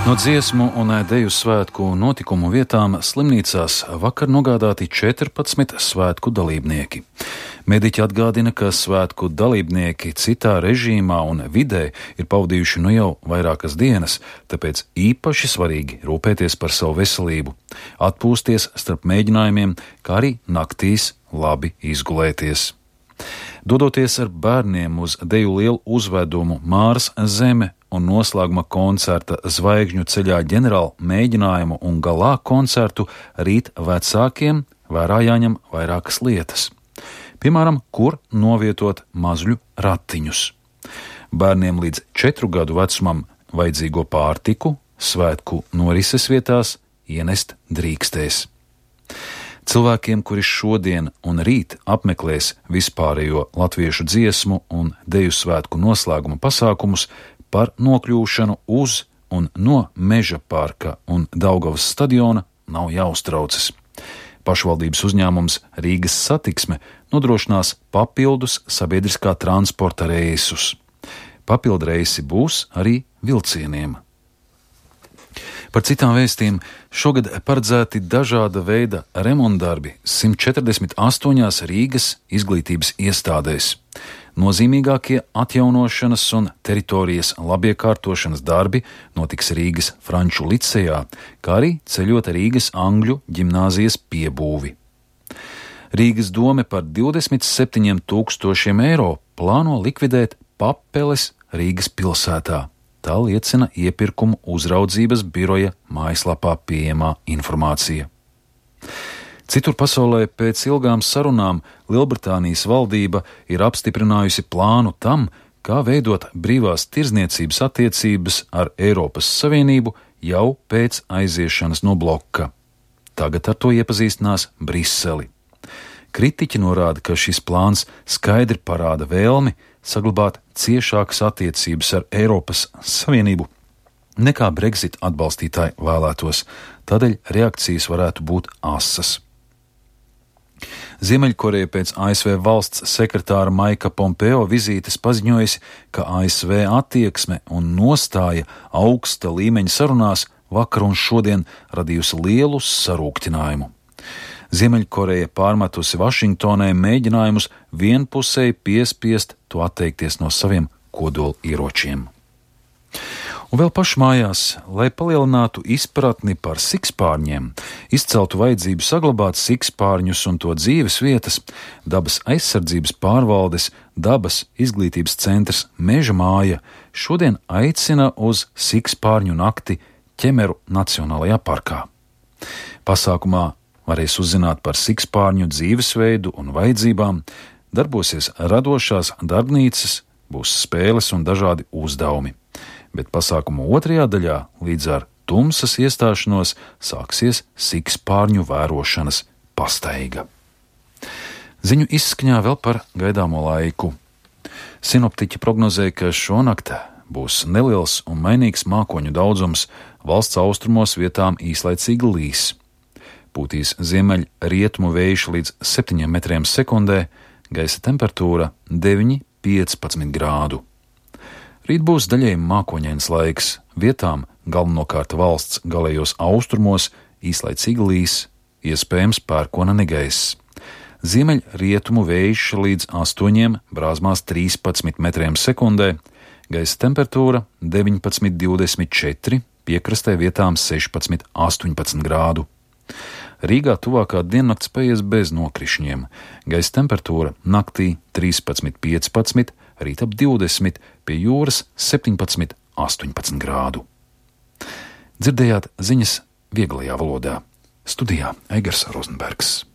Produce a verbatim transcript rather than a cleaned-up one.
No dziesmu un deju svētku notikumu vietām slimnīcās vakar nogādāti četrpadsmit svētku dalībnieki. Mediķi atgādina, ka svētku dalībnieki citā režīmā un vidē ir pavadījuši nu jau vairākas dienas, tāpēc īpaši svarīgi rūpēties par savu veselību, atpūsties starp mēģinājumiem, kā arī naktīs labi izgulēties. Dodoties ar bērniem uz deju lielu uzvedumu Māras zeme un noslēguma koncerta Zvaigžņu ceļā ģenerāla mēģinājumu un galā koncertu, rīt vecākiem vērā jāņem vairākas lietas. Piemēram, kur novietot mazļu ratiņus. Bērniem līdz četru gadu vecumam vajadzīgo pārtiku svētku norises vietās ienest drīkstēs. Cilvēkiem, kuri šodien un rīt apmeklēs vispārējo latviešu dziesmu un deju svētku noslēguma pasākumus, par nokļūšanu uz un no Meža parka un Daugavas stadiona nav jāuztraucas. Pašvaldības uzņēmums Rīgas satiksme nodrošinās papildus sabiedriskā transporta reisus. Papildu reisi būs arī vilcieniem. Par citām vēstīm šogad paredzēti dažāda veida remontdarbi simt četrdesmit astoņās Rīgas izglītības iestādēs. Nozīmīgākie atjaunošanas un teritorijas labiekārtošanas darbi notiks Rīgas Franču licejā, kā arī ceļot Rīgas Angļu ģimnāzijas piebūvi. Rīgas dome par divdesmit septiņiem tūkstošiem eiro plāno likvidēt papeles Rīgas pilsētā. Tā liecina iepirkumu uzraudzības biroja mājaslapā pieejamā informācija. Citur pasaulē pēc ilgām sarunām Lielbritānijas valdība ir apstiprinājusi plānu tam, kā veidot brīvās tirdzniecības attiecības ar Eiropas Savienību jau pēc aiziešanas no bloka. Tagad ar to iepazīstinās Briseli. Kritiķi norāda, ka šis plāns skaidri parāda vēlmi saglabāt ciešākas attiecības ar Eiropas Savienību, nekā Brexit atbalstītāji vēlētos, tādēļ reakcijas varētu būt asas. Ziemeļkoreja pēc A S V valsts sekretāra Maika Pompeo vizītes paziņojusi, ka A S V attieksme un nostāja augsta līmeņa sarunās vakar un šodien radījusi lielu sarūktinājumu. Ziemeļkoreja pārmetusi Vašingtonai mēģinājumus vienpusēji piespiest to atteikties no saviem kodolieročiem. Un vēl pašmājās, lai palielinātu izpratni par sikspārņiem, izceltu vajadzību saglabāt sikspārņus un to dzīves vietas, dabas aizsardzības pārvaldes dabas izglītības centrs Meža māja šodien aicina uz sikspārņu nakti Ķemeru Nacionālajā parkā. Pasākumā varēs uzzināt par sikspārņu dzīvesveidu un vajadzībām, darbosies radošās darbnīcas, būs spēles un dažādi uzdevumi. Bet pasākuma otrajā daļā līdz ar tumsas iestāšanos sāksies sikspārņu vērošanas pastaiga. Ziņu izskaņā vēl par gaidāmo laiku. Sinoptiķi prognozē, ka šonakt būs neliels un mainīgs mākoņu daudzums, valsts austrumos vietām īslaicīgi līs. Pūtīs ziemeļ rietumu vējš līdz septiņiem metriem sekundē, gaisa temperatūra deviņi līdz piecpadsmit grādu. Rīt būs daļēji mākoņains laiks, vietām galvenokārt valsts galējos austrumos īslaicīgi līs, iespējams pērkona negaiss. Ziemeļ rietumu vējš līdz astoņiem, brāzmās trīspadsmit metriem sekundē, gaisa temperatūra deviņpadsmit līdz divdesmit četri, piekrastē vietām sešpadsmit līdz astoņpadsmit grādu. Rīgā tuvākā diennakts paies bez nokrišņiem, gaisa temperatūra naktī trīspadsmit līdz piecpadsmit, rīt ap divdesmit, pie jūras septiņpadsmit līdz astoņpadsmit grādu. Dzirdējāt ziņas vieglajā valodā. Studijā Eigars Rozenbergs.